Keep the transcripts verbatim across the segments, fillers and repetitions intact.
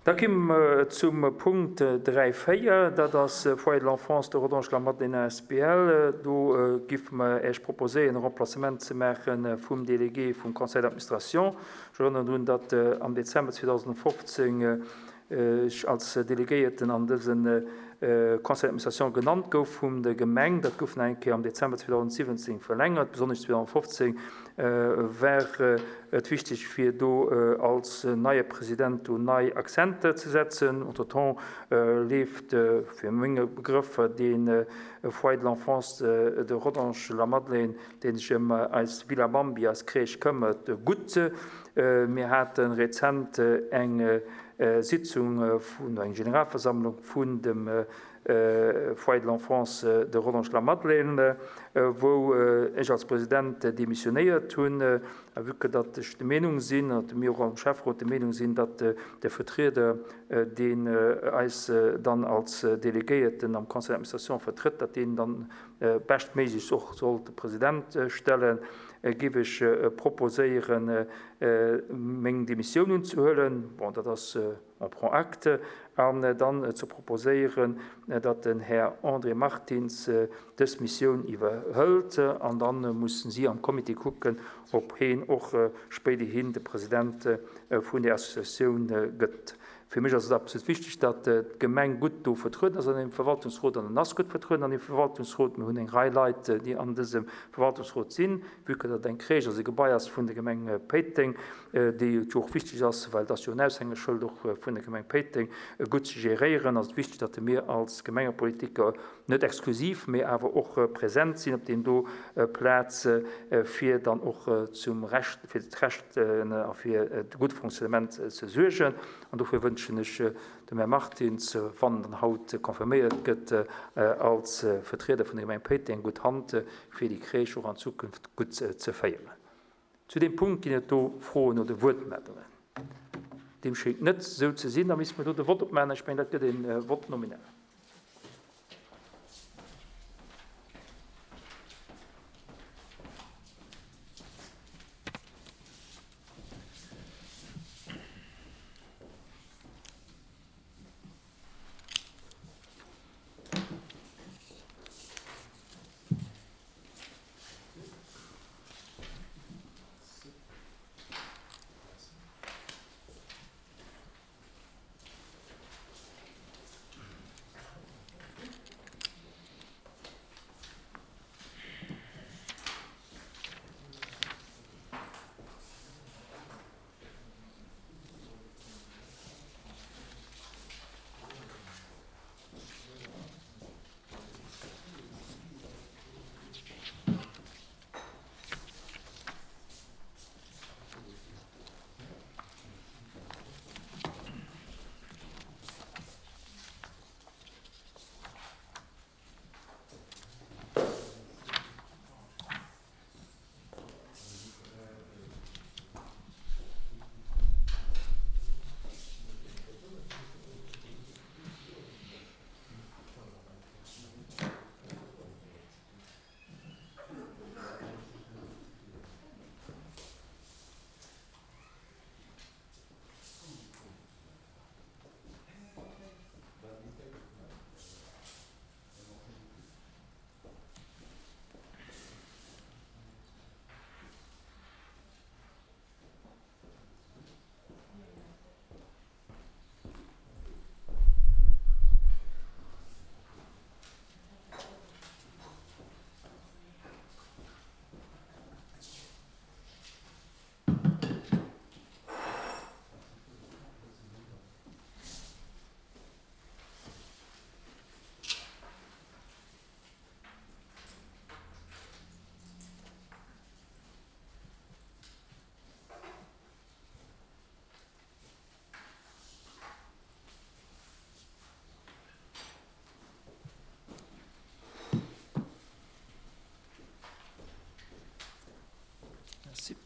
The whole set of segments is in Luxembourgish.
Da komme mer zum Punkt dräi véier, dat ass Foyer de l'enfance de Rodange-la-Madeleine A S B L. Do giffe mer Iech proposéieren, e Remplacement ze maache vum Délégué vum Conseil d'administration. Ech erënneren drun, datt am Dezember zweedausendfofzéng ech als Delegéierten an dëse Conseil d'administration genannt gouf vum der Gemeng. Dat gouf nach eng Kéier am Dezember zweedausendsiwwenzéng verlängert. Besonnesch zweedausendfofzéng war et wichteg, fir do als neie President do nei Akzenter ze setzen. Entretemps leeft fir menge Begrëffer dee Foyer de l'enfance de Rodange-la-Madeleine, dee sech ëm eis Villa Bambi, eis Crèche këmmert, gutt. Mir hate rezent eng Sitzung vun, eng Generalversammlung vun dem Foyer de l'enfance de Rodange-la-Madeleine, wou ech als President demissionéiert hunn. A vue que datt ech der Meenung sinn, an mir och am Schäfferot der Meenung sinn, datt de Vertrieder, deen eis dann als Delegéierten am Conseil d'administration vertrëtt, datt deen dann beschtméiglechst och sollt de President stellen, géif ech proposéieren, meng Demissioun unzehuelen. Bon, dat ass, on prend acte. An dann ze proposéieren, datt den Här André Martins dës Missioun iwwerhëlt. An da mussen si am Comité kucken, ob heen och spéiderhin de President vun där Associatioun gëtt. Fir mech ass et absolut wichteg, datt d'Gemeng gutt do vertrueden ass an deem Verwaltungsrot, an en ass gutt vertrueden an deem Verwaltungsrot. Mir hunn eng Rei Leit, déi an dësem Verwaltungsrot sinn, vue que dat eng Crèche ass, e Gebai ass vun der Gemeng Péiteng, déi et jo och wichteg ass, well et ass jo en Aushängeschëld och vun der Gemeng Péiteng, gutt ze geréieren, ass et wichteg, datt mir als Gemengepolitiker net exklusiv, mee awer och present sinn op deem do Plaz, fir dann och zum Recht, fir d'Recht a fir de gudde Fonctionnement ze suergen. An dofir wënschen ech dem Här Martins, wann en haut confirméiert gëtt als Vertrieder vun der Gemeng Péiteng, gutt Hand, fir déi Crèche och an Zukunft gutt ze féieren. Zu deem Punkt ginn et do Froen oder Wuertmeldungen? Deem schéngt net esou ze sinn. Da misste mer do de Vott opmaachen. Ech mengen, dat gëtt e Vote nominal. Merci.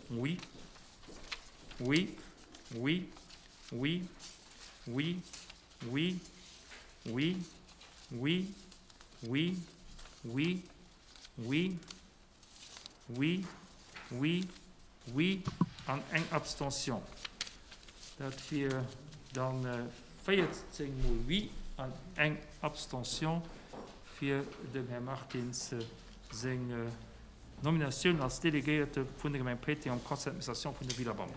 Oui. Oui. Oui. Oui. Oui. Oui. Oui. Oui. Oui. Oui. Oui. Oui. Oui. Oui. An eng Abstention. Dat wier dann véierzéng mol oui an eng Abstention fir dem Här Martins seng Nominatioun als Delegéierte vun der Gemeng Péiteng am Conseil d'administration vun der Villa Bambo.